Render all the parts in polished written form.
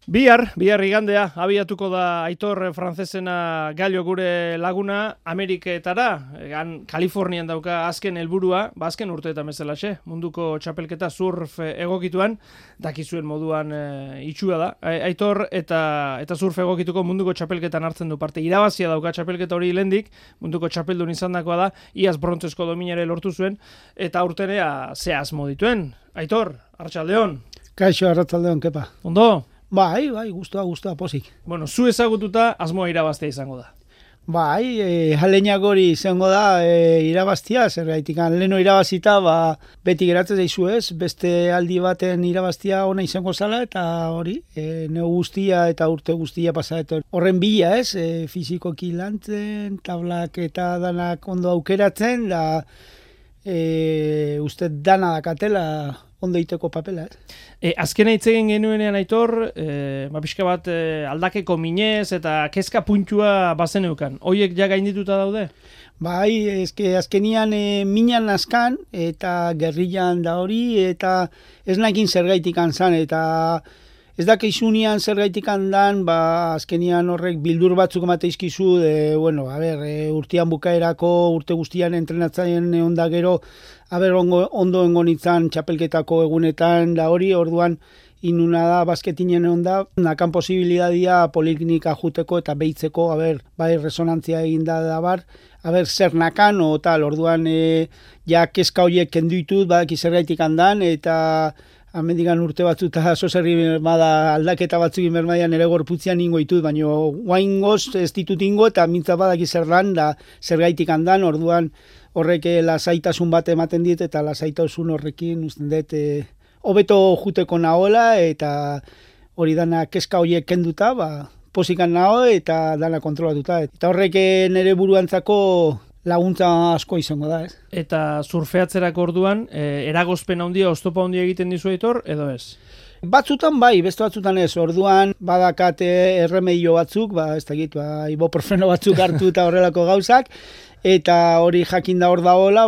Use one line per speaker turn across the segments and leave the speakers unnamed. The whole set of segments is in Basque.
Bihar igandea, abiatuko da Aitor frantzesena Gallo gure laguna Ameriketara, Kalifornian dauka azken helburua, azken urteetan bezalaxe, munduko txapelketa surf egokituan, dakizuen moduan itxua da. Aitor eta surf egokituko munduko txapelketan hartzen du parte. Irabazia dauka txapelketa hori lehendik, munduko txapeldun izandakoa da, iaz brontzesko dominare lortu zuen, eta urtenea ze asmo dituen. Aitor, arratsaldeon.
Kaixo, arratsaldeon, kepa.
Ondo?
Bai, gustua, posik.
Bueno, zu ezagututa asmoa irabaztea izango da.
Bai, jaleñak hori izango da irabaztia, zerbaitik leno irabazita, beti geratzen zaizu ez, beste aldi baten irabaztia ona izango zala, eta hori, neu guztia eta urte guztia pasatzen. Horren bila ez, fizikoki lantzen, tablak eta danak ondo aukeratzen, da uste dana dakatela ondo iteko papela.
Azkena hitz egin genuenean Aitor, pixka bat aldakeko minez eta kezka puntua bazeneukan. Hoiek ja gaindituta daude?
Bai, azkenian minan askan eta gerrillan da hori, eta ez nakin zergaitik anzan, eta ez dakizunean zergaitik handan, azkenian horrek bildur batzuk emate izkizu, urtean bukaerako, urte guztian entrenatzaien onda gero, ondo engonitzan txapelketako egunetan, da hori, orduan inuna da, basketinen onda, nakan posibilidadia poliklinika juteko eta behitzeko, bai resonantzia eginda da bar, zer nakan, o tal, orduan ja kezka horiek kenduitut, badaki zergaitik handan, eta amendigan urte batzuta zozerri bada aldaketa batzuk inbermaian ere gorputzian ingo ditut, baina guain goz ez ditut ingo eta mintza badaki zer lan da zergaitik handan, orduan horrek lasaitasun bat ematen dit eta lasaitasun horrekin usten dut hobeto juteko nahola eta hori dana kezka horiek kenduta, posikan naho eta dana kontrolatuta. Eta horrek nire buruantzako laguntza asko izango da, ez?
Eta surfeatzerako orduan, eragozpen handia, oztopa handia egiten dizu Aitor, edo ez?
Batzutan bai, beste batzutan ez. Orduan badakate erremedio batzuk, ez dakit, ibuprofeno batzuk hartu eta horrelako gauzak, eta hori jakin da hor dagoela,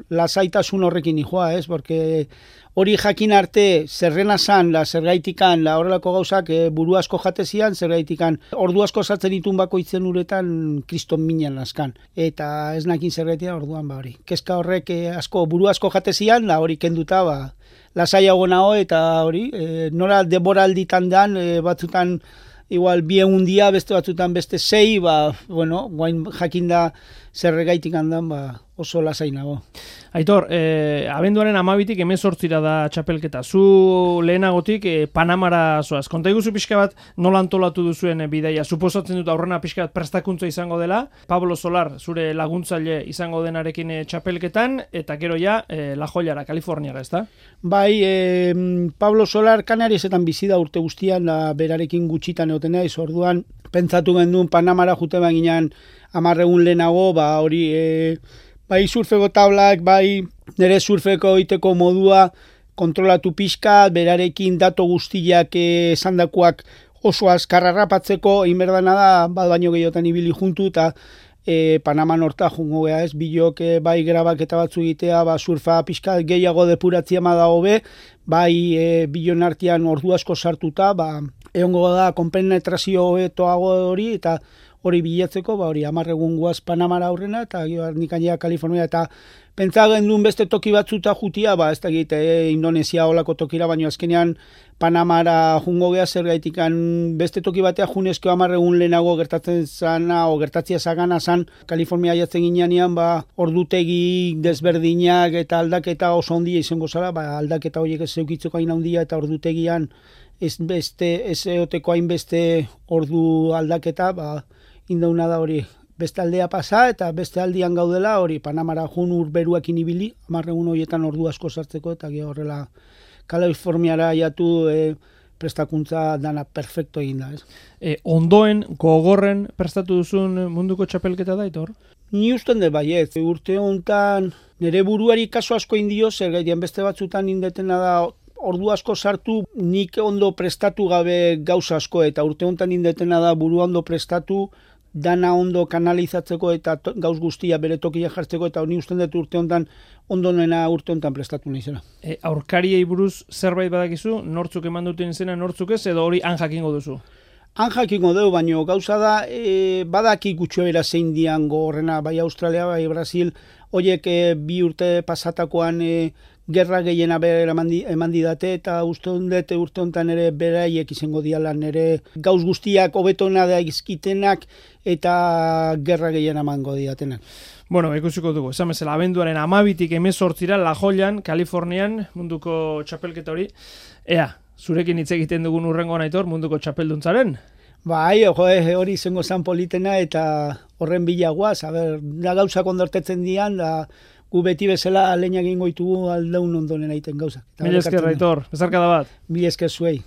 lasaitasun horrekin nijoa, ez? Porque hori jakin arte zerrena zan, zergaitikan, horrelako gauzak buru asko jatezian, zergaitikan ordu asko sartzen ditun bakoitzen uretan kriston minan askan. Eta ez nakin zergaitia orduan hori. Kezka horrek buru asko jatezian, hori kenduta, lasaiago nago eta hori, nora deboralditan dan, batzutan igual bien dia, beste batzutan beste 6, guain jakin da zerregaitik handan, oso lasai nago.
Aitor, abenduaren 12tik 18 da txapelketa. Zu lehenagotik Panamara zoaz. Konta iguzu pixka bat nola antolatu duzuen bidaia. Suposatzen dut aurrena pixka bat prestakuntza izango dela. Pablo Solar, zure laguntzaile izango denarekin txapelketan, eta gero ja La Joyara, Kaliforniara, ezta?
Bai, Pablo Solar Kanariesetan bizi da urte guztian, berarekin gutxitan egoten naiz, orduan pentsatu genduen Panamara jute baginan 10 egun lehenago, hori bai surfeko tablak, bai nire surfeko iteko modua kontrolatu pixka, berarekin dato guztiak esandakoak oso azkarra rapatzeko, inberdana da, baino gehiotan ibili juntu, eta Panaman horta jungo geha ez, bilok bai grabak eta batzu egitea, surfa pixka gehiago depuratzia da hobe, bai bilon artean ordu asko sartuta, egongo da konpenetrazio hobetoago hori, eta hori bilatzeko, hori 10 egun guaz Panamara aurrena, eta nikainea Kalifornia, eta pentsa gendun beste toki batzuta jutia, ez da egite Indonesia olako tokira, baina azkenean Panamara jungo geha zergaitikan beste toki batea junezko 10 egun lehenago gertatzen zana, o gertatzia zagana zan, Kalifornia jatzen ginean, ordutegi desberdinak eta aldaketa oso handia izango zara, aldaketa horiek ez zeukitzeko hain handia, eta ordutegian ez eoteko hainbeste ordu aldaketa, indauna da hori beste aldea pasa eta beste aldian gaudela hori Panamara jun urberuakin ibili, 10 egun horietan ordu asko sartzeko, eta horrela Kaliforniara jatu prestakuntza dana perfecto egin da.
Ondoen, gogorren prestatu duzun munduko txapelketa da, Aitor?
Ni usten dut baiet, urte honetan nire buruari kaso asko indio, zergaitian beste batzutan indetena da ordu asko sartu, nik ondo prestatu gabe gauza asko, eta urte honetan indetena da buru ondo prestatu, dana ondo kanalizatzeko eta gauz guztia bere tokia jartzeko, eta honi usten dut urte honetan, ondonena urte honetan prestatu naizela.
Aurkariei buruz zerbait badakizu, nortzuk eman duten izena, nortzuk ez, edo hori han jakingo duzu?
Han jakingo dugu, baina gauza da, badaki gutxuera zein dian gogorrena, bai Australia, bai Brasil, horiek 2 urte pasatakoan gerra gehiena bera eman didate, eta uste urte honetan ere beraiek izango dialan ere gauz guztiak hobetona da izkitenak eta gerra gehiena emango didatenak.
Bueno, ikusiko dugu, esan bezala, abenduaren 12tik 18ra La Joyan, Kalifornian, munduko txapelketa hori. Ea, zurekin hitz egiten dugun urrengo Aitor, munduko txapelduntzaren?
Bai, hori izango zan politena eta horren bilagoaz, da gauzak ondortetzen dian, da gu beti bezala lehenak ingo ditugu aldeun ondonen aiten gauzak.
Mila esker, Aitor, bezarkada bat.
Mila esker zuei.